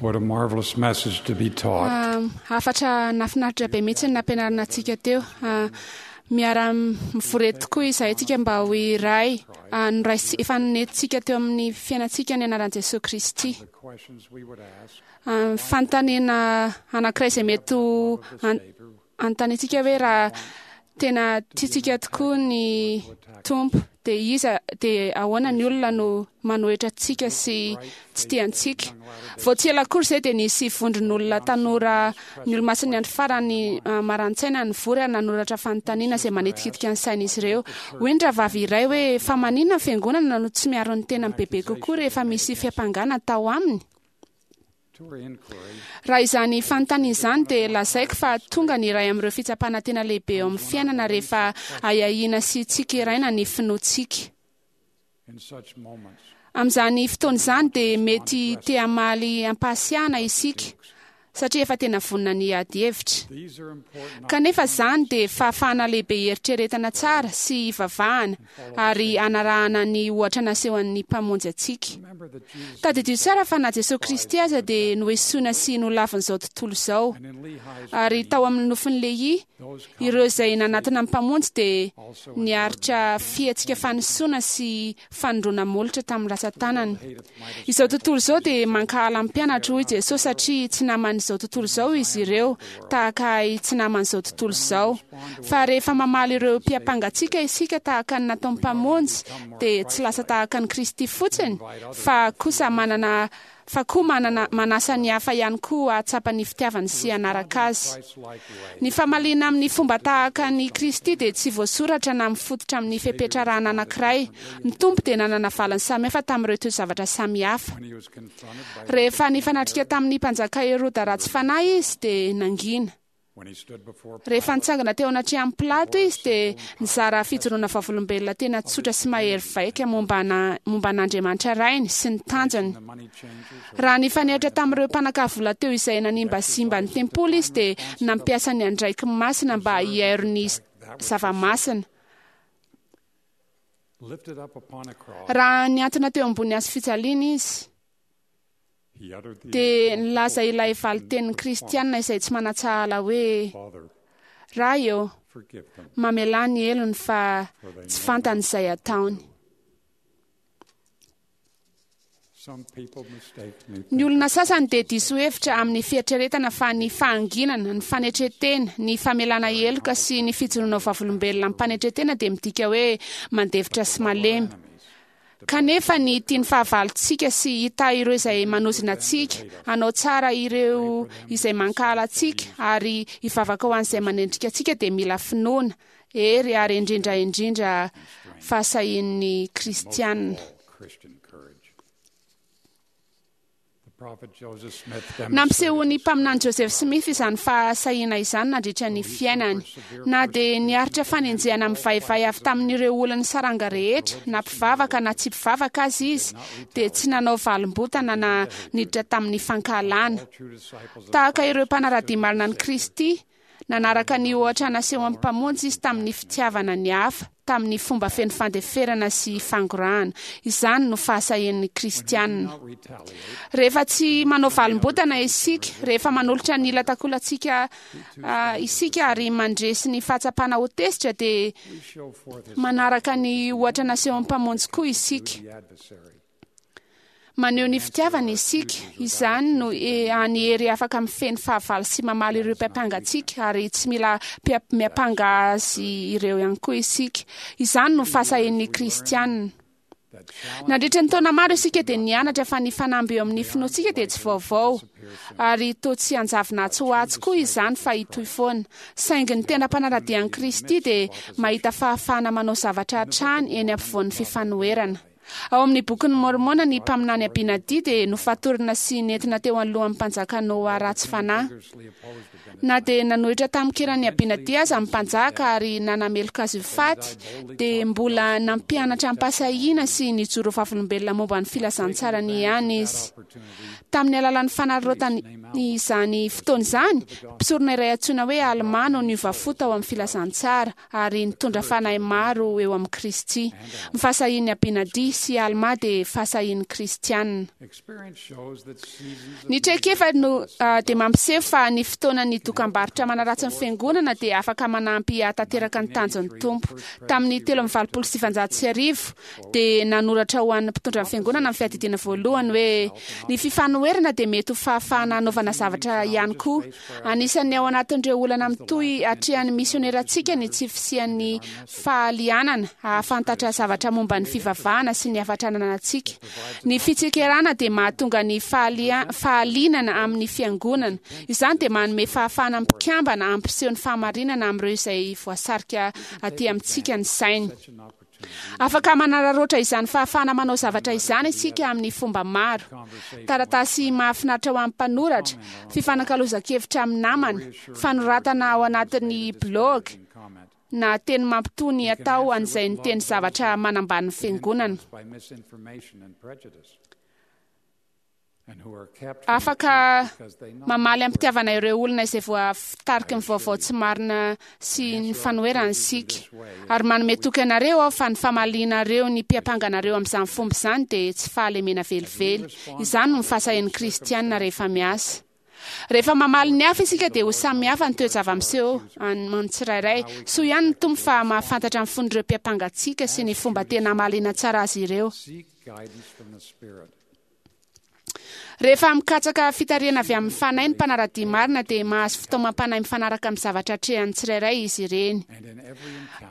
What a marvelous message to be taught. Hafatra nahafinaritra be mihitsy ny nampianarina antsika teo. Miara-mivory eto tokoa izahay tsika mba ho iray. Noraisi, efa nentintsika teo amin'ny fiainantsika ny anaran'i Jesoa Kristy. Fanontaniana anankiray izay mety ho anontaniantsika hoe raha tena tiantsika tokoa ny Tompo dia iza dia ahoana ny olona no manohitra antsika sy tsy tia antsika. Vao tsy ela akory izay dia nisy vondron'olona tanora ny Olomasin'ny Andro Farany maran-tsaina nivory ary nanoratra fanontaniana izay manitikitika ny sain'izy ireo. Hoy ny rahavavy iray hoe, Fa maninona ny Fiangonana no tsy miaro ny tenany bebe kokoa rehefa misy fiampangana atao aminy? Raha izany fanontaniana izany dia lazaiko fa tonga ny iray amin'ireo fitsapana tena lehibe eo amin'ny fiainana rehefa ahiahiana sy tsikeraina ny finoantsika. Amin'izany fotoana izany dia mety te hamaly am-pahasiahana isika satria efa tena vonona ny hiady hevitra. Kanefa izany dia fahafahana lehibe hieritreretana tsara sy hivavahana ary hanarahana ny ohatra nasehon'ny Mpamonjy antsika. Tadidio tsara fa na Jesoa Kristy aza dia noesoina sy nolavin'izao tontolo izao. Ary tao amin'ny nofin'i Lehia, ireo izay nanatona ny Mpamonjy dia niaritra fihetsika fanisoana sy fanindroana molotra tamin'ny ratsan-tanany. Izao tontolo izao dia mankahala ny mpianatro, hoy Jesosy, satria tsy naman'izao tontolo izao izy ireo, tahaka ahy tsy naman'izao tontolo izao. Fa rehefa mamaly ireo mpiampanga antsika isika tahaka ny nataon'ny Mpamonjy, dia tsy lasa tahaka an'i Kristy fotsiny, fa kosa manana fa koa manana manasa ny hafa ihany koa hahatsapa ny fitiavany sy hanaraka azy. Ny famaliana amin'ny fomba tahaka an'i Kristy dia tsy voasoratra na mifototra amin'ny fepetra arahana anankiray. Ny Tompo dia nanana valiny samihafa tamin'ireo toe-javatra samihafa. Rehefa nifanatrika tamin'ny mpanjaka Heroda ratsy fanahy izy dia nangina. Rehefa nitsangana teo anatrehan'i Pilato izy dia nizara fijoroana vavolombelona tena tsotra sy mahery vaika momba momba an'Andriamanitra Rainy sy ny tanjony. Raha nifanehatra tamin'ireo mpanakavola teo izay nanimbazimba ny tempoly izy dia nampiasa ny andraikiny masina mba hiairo ny zava-masina. Raha nihantona teo ambony hazo fijaliana izy, Dia nilaza ilay valin-tenin'ny Kristianina izay tsy manan-tsahala hoe, Ray ô, mamelà ny helony fa tsy fantany izay ataony. Ny olona sasany dia diso hevitra amin'ny fieritreretana fa ny fahanginana, ny fanetren-tena, ny famelana heloka sy ny fijoroana ho vavolombelona amim-panetren-tena dia midika hoe mandefitra sy malemy. Kanefa ny tia ny fahavalontsika sy hitahy ireo izay manozona antsika, hanao tsara ireo izay mankahala antsika, ary hivavaka ho an'izay manendrika antsika dia mila finoana, hery ary indrindra indrindra fahasahian'ny Kristiana. Nampisehoan'ny mpaminany Joseph Smith izany fahasahiana izany nandritra ny fiainany. Na dia niaritra fanenjehana mivaivay avy tamin'ireo olon'ny saranga rehetra, na mpivavaka na tsy mpivavaka aza izy, dia tsy nanao valim-bontana na niditra tamin'ny fankahalana. Tahaka ireo mpanara-dia marina an'i Kristy, Nanaraka ny ohatra nasehon'ny Mpamonjy izy tamin'ny fitiavana ny hafa, tamin'ny fomba feno fandeferana sy fangorahana. Izany no fahasahian'ny Kristianina. Rehefa tsy manao valim-bontana isika, rehefa manolotra ny ila takolantsika isika ary mandresy ny fahatsapana ho tezitra, dia manaraka ny ohatra nasehon'ny Mpamonjy koa isika. Maneho ny fitiavana isika. Izany no hany hery afaka mifehy ny fahavalo sy mamaly ireo mpiampanga antsika, ary tsy mila miampanga azy ireo ihany koa isika. Izany no fahasahian'ny Kristianina. Nandritra ny taona maro isika dia nianatra fa ny fanamby eo amin'ny finoantsika dia tsy vaovao, ary toa tsy hanjavona atsy ho atsy koa izany fa hitohy foana. Saingy ny tena mpanara-dia an'i Kristy dia mahita fahafahana manao zavatra hatrany eny ampovoan'ny fifanoherana. Ao amin'ny Bokin'i Môrmôna, ny mpaminany Abinadia dia nofatorina sy nentina teo anoloan'ny mpanjaka Noà ratsy fanahy. Na dia nanohitra tamin-kiran'i Abinadia aza ny mpanjaka ary nanameloka azy ho faty, dia mbola nampianatra am-pahasahiana sy nijoro ho vavolombelona momba ny filazantsarany ihany izy. Tamin'ny alalan'ny fanararaotany izany fotoana izany, mpisorona iray antsoina hoe Almà no niova fo tao amin'ny filazantsara. ary nitondra fanahy maro eo amin'i Kristy. Ny fahasahian'i Abinadia. sy Almà dia fahasahian'ny Kristiana. Ny traikefa no dia mampiseho fa ny fotoanan'ny dokam-barotra manaratsy ny Fiangonana dia afaka manampy hahatanteraka ny tanjon'ny Tompo. Tamin'ny 1983 dia nanoratra ho an'ny mpitondra ny Fiangonana ny Fiadidiana Voalohany hoe, Ny fifanoherana dia mety ho fahafahana hanaovana zavatra ihany koa. Anisan'ny ao anatin'ireo olana mitohy atrehan'ny misionerantsika ny tsy fisian'ny fahalianana hahafantatra zavatra momba ny fivavahana sy ny hafatra ananantsika. Ny fitsikerana dia mahatonga ny fahalianana amin'ny Fiangonana. Izany dia manome fahafahana ny mpikambana hampiseho ny fahamarinana amin'ireo izay voasarika aty amintsika ny sainy. Afaka manararaotra izany fahafahana manao zavatra izany isika amin'ny fomba maro. Taratasy mahafinaritra ho an'ny mpanoratra, fifanakalozan-kevitra amin'ny namana, fanoratana ao anatin'ny blaogy, na teny mampitony atao an'izay niteny zavatra manambany ny Fiangonana. Afaka mamaly am-pitiavana ireo olona izay voatariky ny vaovao tsy marina sy ny fanoherana isika. Ary manome toky anareo aho fa ny famalianareo ny mpiampanga anareo amin'izany fomba izany dia tsy fahalemena velively. Izany no fahasahian'ny Kristiana rehefa miasa. Rehefa mamaly ny hafa isika dia ho samy hafa ny toe-java-miseho amin'ny tsirairay. Soa ihany ny Tompo fa mahafantatra ny fon'ireo mpiampanga antsika sy ny fomba tena hamaliana tsara azy ireo. Rehefa mikatsaka fitarihana avy amin'ny Fanahy ny mpanara-dia marina dia mahazo fitaomam-panahy mifanaraka amin'ny zavatra atrehan'ny tsirairay izy ireny.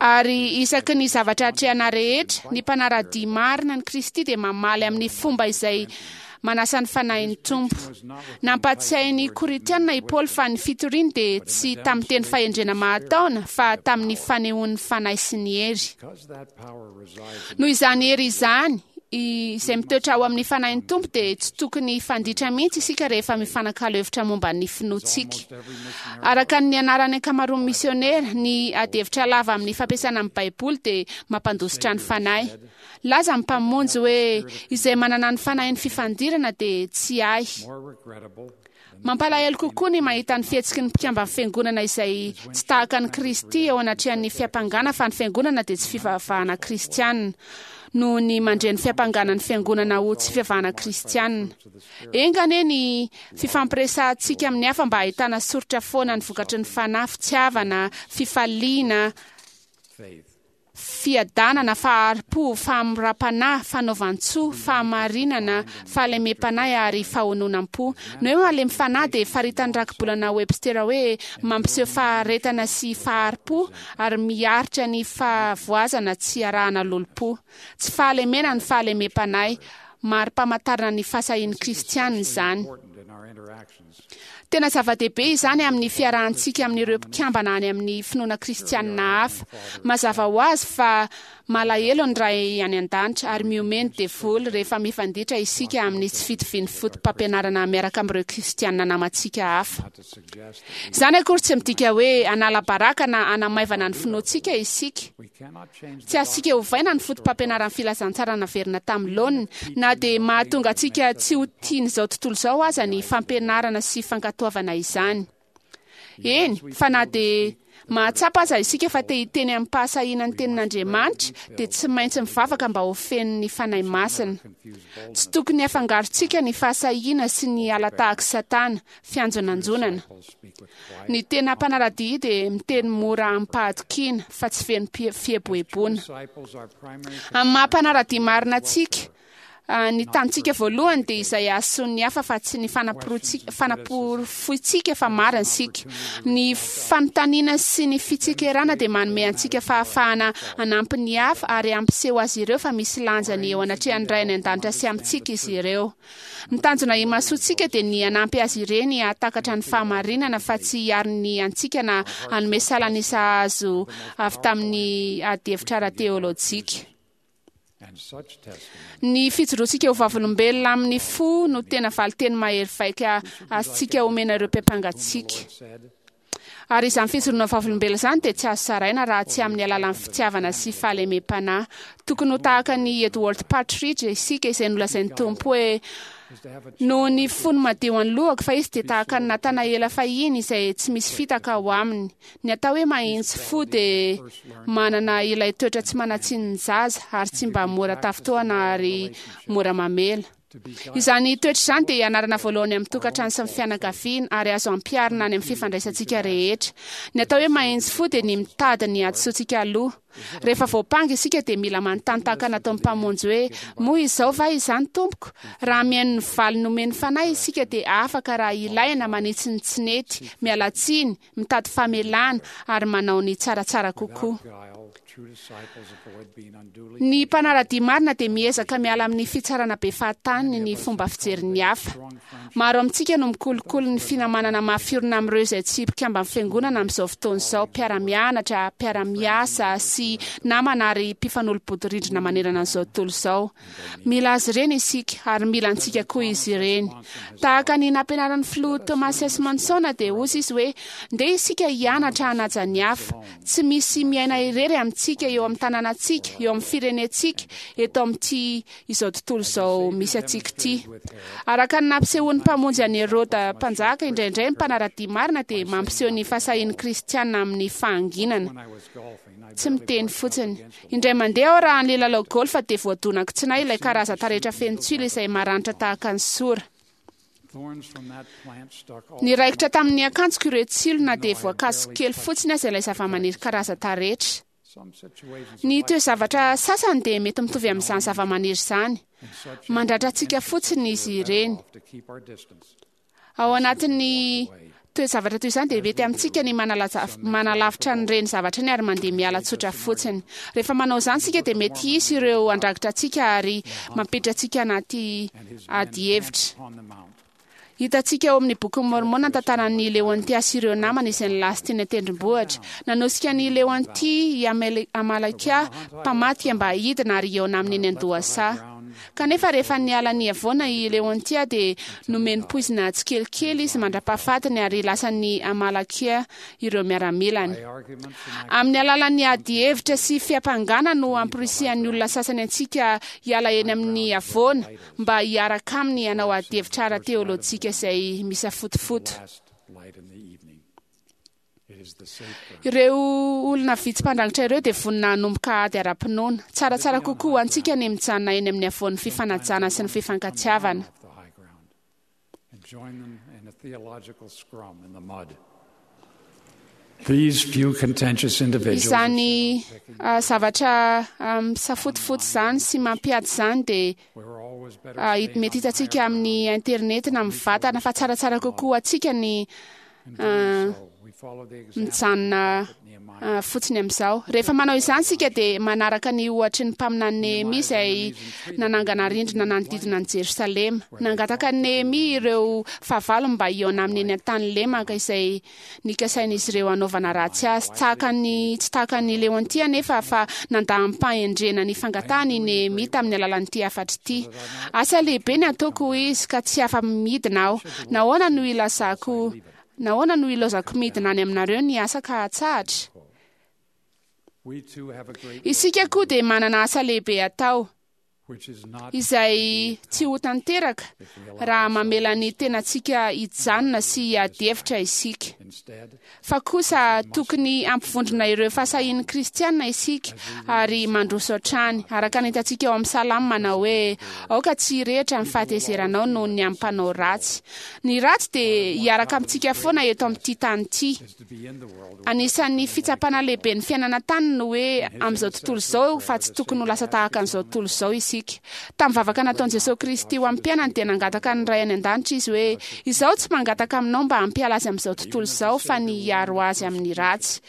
Ary isaky ny zavatra atrehana rehetra, ny mpanara-dia marina an'i Kristy dia mamaly amin'ny fomba izay manasa ny Fanahin'ny Tompo. Nampahatsiahy ny Korintiana i Paoly fa ny fitoriany dia tsy tamin'ny teny fahendrena mahataona fa tamin'ny fanehoan'ny Fanahy sy ny hery. Noho izany hery izany, izay mitoetra ao amin'ny Fanahin'ny Tompo dia tsy tokony hifanditra mihitsy isika rehefa mifanakalo hevitra momba ny finoantsika. Araka ny nianaran'ny ankamaroan'ny misionera, ny adihevitra lava amin'ny fampiasana ny Baiboly dia mampandositra ny fanahy. Laza ny Mpamonjy hoe, Izay manana ny fanahin'ny fifandirana dia tsy ahy. Mampalahelo kokoa ny mahita ny fihetsiky ny mpikamban'ny Fiangonana izay tsy tahaka an'i Kristy eo anatrehan'ny fiampangana fa ny Fiangonana dia tsy fivavahana kristiana, noho ny mandre ny fiampangana ny Fiangonana ho tsy fivavahana kristiana. Enga anie ny fifampiresahantsika amin'ny hafa mba hahitana soritra foana ny vokatry ny fanahy, fitiavana, fifaliana, fiadanana, fahari-po, fahamoram-panahy, fanaovan-tsoa, fahamarinana, fahalemem-panahy ary fahononam-po. Ny hoe malemy fanahy dia faritan'ny rakibolana Webster hoe mampiseho faharetana sy fahari-po ary miaritra ny fahavoazana tsy arahana lolompo. Tsy fahalemena ny fahalemem-panahy. Mari-pamantarana ny fahasahian'ny Kristiana izany. Tena zava-dehibe izany amin'ny fiarahantsika amin'ireo mpikambana any amin'ny finoana kristianina hafa. Mazava ho azy fa malahelo ny Ray any An-danitra ary mihomehy ny devoly rehefa mifanditra isika amin'ny tsy fitovian'ny fotopampianarana miaraka amin'ireo kristianina namantsika hafa. Izany akory tsy midika hoe hanala baraka na hanamaivana ny finoantsika isika. Tsy azontsika ovaina ny fotopampianaran'ny filazantsara naverina tamin'ny laoniny, na dia mahatonga antsika tsy ho tian'izao tontolo izao aza ny fampianarana sy fankatoavana izany. Eny, fa na dia mahatsapa aza isika fa te hiteny amim-pahasahiana ny tenin'Andriamanitra, dia tsy maintsy mivavaka mba ho feno ny Fanahy Masina. Tsy tokony hafangarontsika ny fahasahiana sy ny hala-tahak'i Satana, fianjonanjonana. Ny tena mpanara-dia dia miteny mora amim-pahatokiana fa tsy feno fieboeboana. Amin'ny maha mpanara-dia marina antsika, ny tanjontsika voalohany dia izay hahasoa ny hafa fa tsy ny fanaporofointsika fa marina isika. Ny fanontaniana sy ny fitsikerana dia manome antsika fahafahana hanampy ny hafa ary hampiseho azy ireo fa misy lanjany eo anatrehan'ny Ray any An-danitra sy amintsika izy ireo. Ny tanjona imasoantsika dia ny hanampy azy ireny hahatakatra ny fahamarinana fa tsy hiaro ny antsika na hanome salan'isa azo avy tamin'ny adihevitra ara-teolojika. Ny fijoroantsika ho vavolombelona amin'ny fo no tena valinteny mahery vaika azontsika omena ireo mpiampanga antsika. Ary izany fijoroana vavolombelona izany dia tsy azo saraina raha tsy amin'ny alalan'ny fitiavana sy fahalemem-panahy. Tokony ho tahaka an'i Edward Partridge isika izay nolazain'ny Tompo hoe, Noho ny fony madio an'ny lohako fa izy dia tahaka ny Natanaela fahiny izay tsy misy fitaka ao aminy. Ny atao hoe mahitsy fo dia manana ilay toetra tsy manan-tsiny ny zaza ary tsy mba mora tafintohina ary mora mamela. Izany toetra izany dia ianarana voalohany amin'ny tokantrano sy ny fianakaviana ary azo ampiharina any amin'ny fifandraisantsika rehetra. Ny atao hoe mahitsy fo dia ny mitady ny hadisoantsika aloha. Rehefa voampanga isika dia mila manontany tahaka nataon'ny Mpamonjy hoe, Moa izao va izany, Tompoko? Raha mihaino ny valiny nomen'ny Fanahy isika dia afaka, raha ilaina, manitsy ny tsy nety, miala tsiny, mitady famelana, ary manao ny tsaratsara kokoa. Ny mpanara-dia marina dia miezaka miala amin'ny fitsarana be fahatany ny fomba fijerin'ny hafa. Maro amintsika no mikolokolo ny finamanana mafy orina amin'ireo izay tsy mpikamban'ny Fiangonana amin'izao fotoana izao, mpiara-mianatra, mpiara-miasa, sy namana ary mpifanolo-bodirindrina manerana an'izao tontolo izao. Mila azy ireny isika, ary mila antsika koa izy ireny. Tahaka ny nampianaran'ny Filoha Thomas S. Monson dia hozy izy hoe, Ndeha isika hianatra hanaja ny hafa. Tsy misy miaina irery amintsika eo amin'ny tanànantsika, eo amin'ny firenentsika, eto amin'ity izao tontolo izao misy antsika ity. Araka ny nampisehoan'ny Mpamonjy an'i Heroda Mpanjaka, indraindray ny mpanara-dia marina dia mampiseho ny fahasahian'ny Kristiana amin'ny fahanginana. Tsy miteny fotsiny. Indray mandeha aho raha nilalao golf dia voadonako tsy nahy ilay karazan-taretra feno tsilo izay maranitra tahaka ny sora. Niraikitra tamin'ny akanjoko ireo tsilo na dia voakasiko kely fotsiny aza ilay zavamaniry karazan-taretra. Ny toe-javatra sasany dia mety mitovy amin'izany zavamaniry izany. Mandratra antsika fotsiny izy ireny. Ao anatin'ny toe-javatra toy izany dia mety amintsika ny manalavitra an'ireny zavatra ireny ary mandeha miala tsotra fotsiny. Rehefa manao izany isika dia mety hisy ireo handragitra antsika ary mampiditra antsika anaty adihevitra. Hitantsika ao amin'ny Bokin'i Môrmôna ny tantaran'i Leôntia sy ireo namany izay nilasy teny an-tendrombohitra. Nanosika an'i Leôntia i Amalekia mpamadika mba hidina ary hihaona aminy eny an-dohasaha. Kanefa rehefa niala ny havoana i Leôntia dia nomeny poizina tsikelikely izy mandra-pahafatiny ary lasan'i Amalekia ireo miaramilany. Amin'ny alalan'ny ady hevitra sy fiampangana no amporisihan'ny olona sasany antsika hiala eny amin'ny havoana mba hiaraka aminy hanao adihevitra ara-teolojika izay misafotofoto. Ireo olona vitsy mpandrangitra ireo dia vonona hanomboka ady ara-pinoana. Tsaratsara kokoa ho antsika ny mijanona eny amin'ny havoan'ny fifanajana sy ny fifankatiavana. Izany zavatra misafotofoto izany sy mampiady izany dia mety hitantsika amin'ny internet na mivantana fa tsaratsara kokoa ho antsika ny mijanona fotsiny amin'izao. Rehefa manao izany isika dia manaraka ny ohatry ny mpaminany Nehemia izay nanangana rindrina nanodidina an'i Jerosalema. Nangataka an'i Nehemia ireo fahavalony mba hihaona aminy eny an-tany lemaka izay nikasain'izy ireo hanaovana ratsy azy. Tahaka ny tsy tahaka an'i Leontia anefa fa nandà amim-pahendrena ny fangatahany i Nehemia tamin'ny alalan'ity hafatra ity. Asa lehibe ny ataoko, hoy izy, ka tsy afa-midina aho. Nahoana no ilazako Nahoana no ilaozako midina any aminareo ny asa ka hatsahatra? Isika koa dia manana asa lehibe atao, izay tsy ho tanteraka raha mamela ny tenantsika hijanona sy hiady hevitra isika. Fa kosa tokony hampivondrona ireo fahasahian'ny Kristiana isika ary mandroso hatrany, araka ny hitantsika ao amin'ny Salamo manao hoe, Aoka tsy hirehitra ny fahatezeranao noho ny amin'ny mpanao ratsy. Ny ratsy dia hiaraka amintsika foana eto amin'ity tany ity. Anisan'ny fitsapana lehibe ny fiainana an-tany ny hoe amin'izao tontolo izao fa tsy tokony ho lasa tahaka an'izao tontolo izao isika. Tamin'ny vavaka nataon'i Jesosy Kristy ho amin'ny mpianany dia nangataka ny Ray any an-danitra izy hoe, Izaho tsy mangataka aminao mba hampiala azy amin'izao tontolo izao fa ny hiaro azy amin'ny ratsy.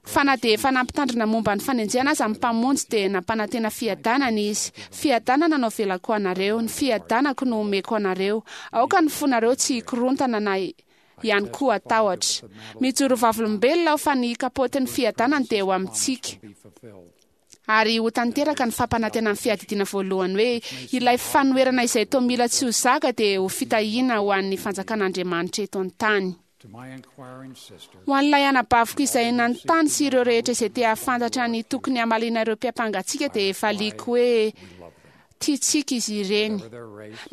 Fa na dia efa nampitandrina momba ny fanenjehana aza ny Mpamonjy dia nampanantena fiadanana Izy. Fiadanana no avelako ho anareo, ny fiadanako no omeko anareo. Aoka ny fonareo tsy hikorontana na ihany koa hatahotra. Mijoro vavolombelona aho fa ny kapotin'ny fiadanana dia eo amintsika. Ary ho tanteraka ny fampanantenan'ny Fiadidiana Voalohany hoe ilay fanoherana izay toa mila tsy ho zaka dia ho fitahiana ho an'ny fanjakan'Andriamanitra eto an-tany. Ho an'ilay anabaviko izay nanontany sy ireo rehetra izay te hahafantatra ny tokony hamaliana ireo mpiampanga antsika dia valiako hoe, Tiantsika izy ireny.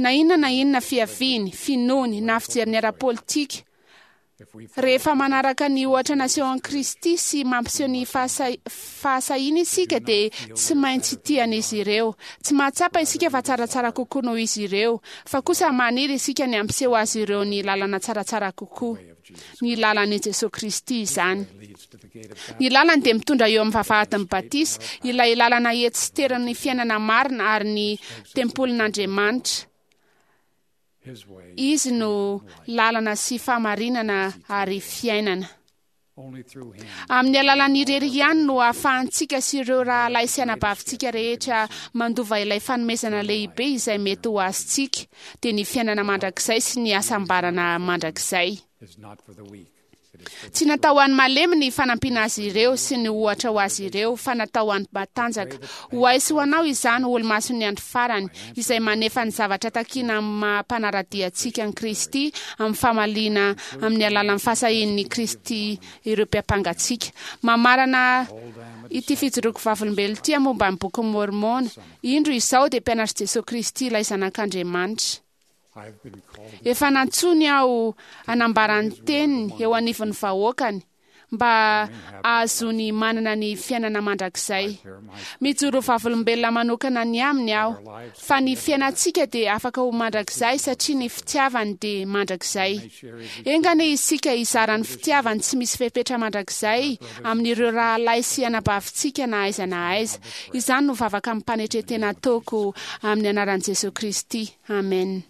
Na inona na inona fiaviany, finoany, na fijeriny ara-politika, Rehefa manaraka ny ohatra nasehon'i Kristy sy mampiseho ny fahasahiana isika dia tsy maintsy tia an'izy ireo. Tsy mahatsapa isika fa tsaratsara kokoa noho izy ireo, fa kosa maniry isika ny hampiseho azy ireo ny lalana tsaratsara kokoa. Ny lalan'i Jesoa Kristy izany. Ny lalany dia mitondra eo amin'ny vavahadin'ny batisa, ilay lalana etsy sy teran'ny fiainana marina ary ny tempolin'Andriamanitra. Izy no lalana sy fahamarinana ary fiainana. Amin'ny alalan'ny irery ihany no ahafahantsika sy ireo rahalahy sy anabavintsika rehetra mandova ilay fanomezana lehibe izay mety ho azontsika, dia ny fiainana mandrakizay sy ny hasambarana mandrakizay. Tsy natao ho an'ny malemy ny fanampiana azy ireo sy ny ohatra ho azy ireo, fa natao ho an'ny matanjaka. Ho ahy sy ho anao izany, olomason'ny andro farany, izay manefa ny zavatra takiana amin'ny maha mpanara-dia antsika an'i Kristy amin'ny famaliana amin'ny alalan'ny fahasahian'i Kristy ireo mpiampanga antsika. Mamarana ity fijoroako vavolombelona ity aho momba ny Bokin'i Môrmôna. Indro, izaho dia mpianatr'i Jesoa Kristy, ilay Zanak'Andriamanitra. Efa nantsoiny aho hanambara ny teniny eo anivon'ny vahoakany mba hahazoany manana ny fiainana mandrakizay. Mijoro vavolombelona manokana ny aminy aho fa ny fiainantsika dia afaka ho mandrakizay satria ny fitiavany dia mandrakizay. Enga anie isika hizara ny fitiavany tsy misy fepetra mandrakizay amin'ireo rahalahy sy anabavintsika na aiza na aiza. Izany no vavaka amim-panetren-tena ataoko amin'ny anaran'i Jesoa Kristy. Amen.